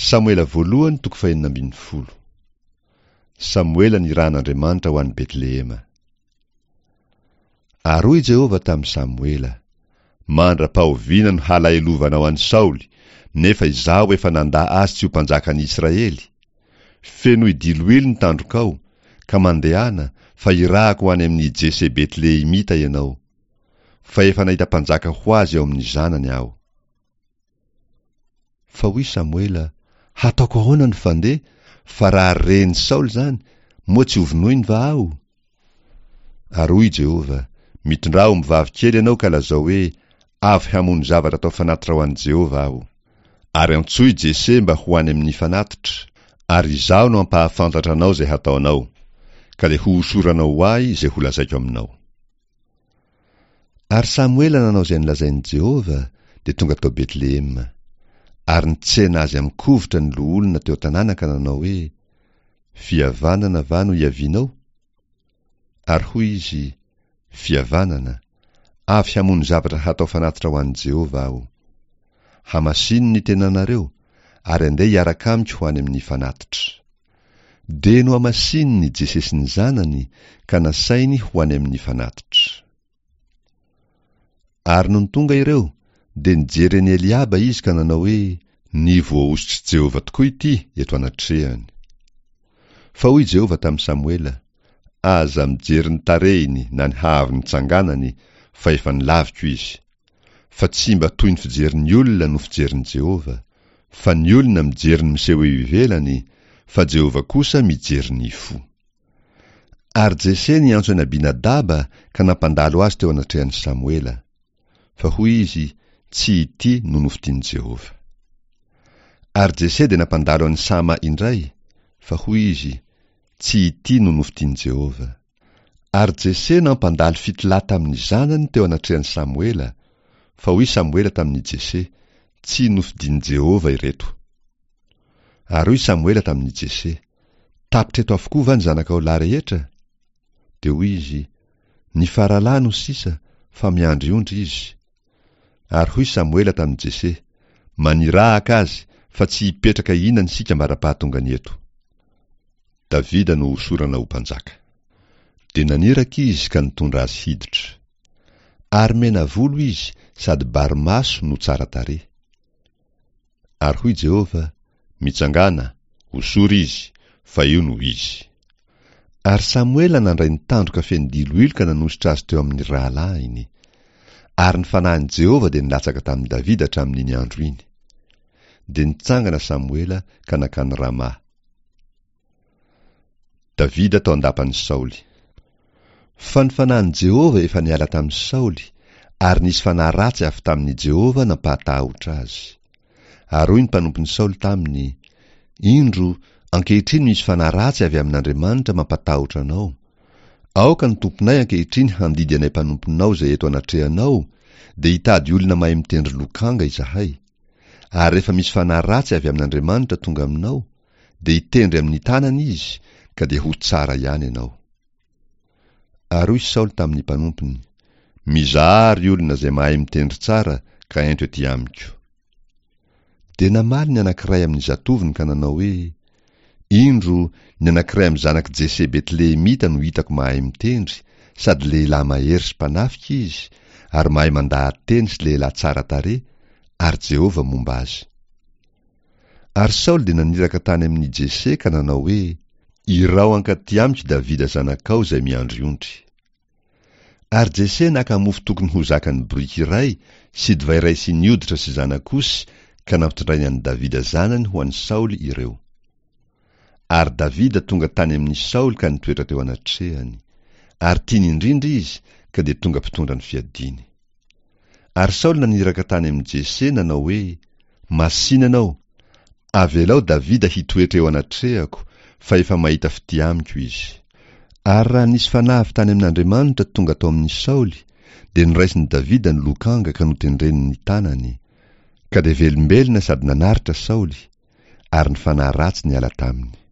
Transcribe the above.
Samoela voalohany toko fahenina ambin'ny folo. Samoela nirahan'Andriamanitra ho any Betlehema. Ary hoy Jehovah tamin'i Samoela, Mandra-pahoviana no halahelovanao an'i Saoly, nefa izaho efa nandà azy tsy ho mpanjakan'i Israely? Fenoy diloilo ny tandrokao, ka mandehana, fa hirahako ho any amin'i Jese Betlehemita ianao. Fa efa nahita mpanjaka ho azy ao amin'ny zanany aho. Fa hoy Samoela, Hataoko ahoana no fandeha, fa raha ren'i Saoly izany, moa tsy hovonoiny va aho? Ary hoy Jehovah, Mitondrà ombivavy kely ianao ka lazao hoe, 'Avy hamono zavatra atao fanatitra ho an'i Jehovah aho. Ary antsoy Jese mba ho any amin'ny fanatitra, ary izaho no hampahafantatra anao izay hataonao, ka dia hohosoranao ho ahy izay holazaiko aminao. Ary Samoela nanao izay nolazain'i Jehovah, dia tonga tao Betlehema. Ary nitsena azy amin-kovitra ny loholona teo an-tanàna ka nanao hoe, Fihavanana va no iavianao? Ary hoy izy, Fihavanana, avy hamono zavatra hatao fanatitra ho an'i Jehovah aho. Hamasino ny tenanareo, ary andeha hiaraka amiko ho any amin'ny fanatitra. Dia nohamasininy Jese sy ny zanany ka nasainy ho any amin'ny fanatitra. Ary nony tonga ireo, dia nijery an'i Eliaba izy ka nanao hoe, Ny voahosotr'i Jehovah tokoa ity eto anatrehany. Fa hoy Jehovah tamin'i Samoela, Aza mijery ny tarehiny na ny haavon'ny tsanganany, fa efa nolaviko izy. Fa tsy mba toy ny fijerin'ny olona no fijerin'i Jehovah, fa ny olona mijery ny miseho eo ivelany, fa Jehovah kosa mijery ny fo. Ary Jese niantso an'i Abinadaba ka nampandalo azy teo anatrehan'i Samoela. Fa hoy izy, Tsy ity no nofidin'i Jehovah. Ary Jese dia nampandalo an'i Sama indray, fa hoy izy, Tsy ity no nofidin'i Jehovah. Ary Jese nampandalo fitolahy tamin'ny zanany teo anatrehan'i Samoela, fa hoy Samoela tamin'i Jese, Tsy nofidin'i Jehovah ireto. Ary hoy Samoela tamin'i Jese, Tapitra eto avokoa va ny zanakao lahy rehetra? Dia hoy izy, Ny faralahy no sisa, fa miandry ondry izy. Ary hoy Samoela tamin'i Jese, Manirahaka azy, fa tsy hipetraka hihinana isika ambara-pahatongany eto. Davida no hosorana ho mpanjaka. Dia naniraka izy ka nitondra azy hiditra. Ary mena volo izy sady bary maso no tsara tarehy. Ary hoy Jehovah, Mitsangàna, hosory izy, fa io no izy. Ary Samoela nandray ny tandroka feno diloilo ka nanosotra azy teo amin'ny rahalahiny. Ary ny fanahin'i Jehovah dia nilatsaka tamin'i Davida hatramin'iny andro iny. Dia nitsangana Samoela ka nankany Rama. Davida tao an-dapan'i Saoly. Fa ny fanahin'i Jehovah efa niala tamin'i Saoly, ary nisy fanahy ratsy avy tamin'i Jehovah nampahatahotra azy. Ary hoy ny mpanompon'i Saoly taminy, Indro, ankehitriny misy fanahy ratsy avy amin'Andriamanitra mampatahotra anao. Aoka ny tomponay ankehitriny handidy anay mpanomponao izay eto anatrehanao, dia hitady olona mahay mitendry lokanga izahay. Ary rehefa misy fanahy ratsy avy amin'Andriamanitra tonga aminao, dia hitendry amin'ny tanany izy, ka dia ho tsara ihany ianao. Ary hoy Saoly tamin'ny mpanompony, Mizahà ry olona izay mahay mitendry tsara, ka ento ety amiko. Dia namaly ny anankiray amin'ny zatovony ka nanao hoe, Indro, ny anankiray amin'ny zanak'i Jese Betlehemita no hitako mahay mitendry, sady lehilahy mahery sy mpanafika izy, ary mahay mandaha-teny sy lehilahy tsara tarehy, ary Jehovah momba azy. Ary Saoly dia naniraka tany amin'i Jese ka nanao hoe, Iraho hankaty amiko Davida zanakao izay miandry ondry. Ary Jese naka mofo tokony ho zakan'ny boriky iray sy divay iray siny hoditra sy zanak'osy ka nampitondrainy an'i Davida zanany ho an'i Saoly ireo. Ary Davida tonga tany amin'i Saoly ka nitoetra teo anatrehany. Ary tiany indrindra izy ka dia tonga mpitondra ny fiadiany. Ary Saoly naniraka tany amin'i Jese nanao hoe, Masìna ianao, avelao Davida hitoetra eo anatrehako, fa efa mahita fitia amiko izy. Ary raha nisy fanahy avy tany amin'Andriamanitra tonga tao amin'i Saoly, dia noraisin'i Davida ny lokanga ka notendreny ny tanany. Ka dia velombelona sady nanaritra Saoly, ary ny fanahy ratsy niala taminy.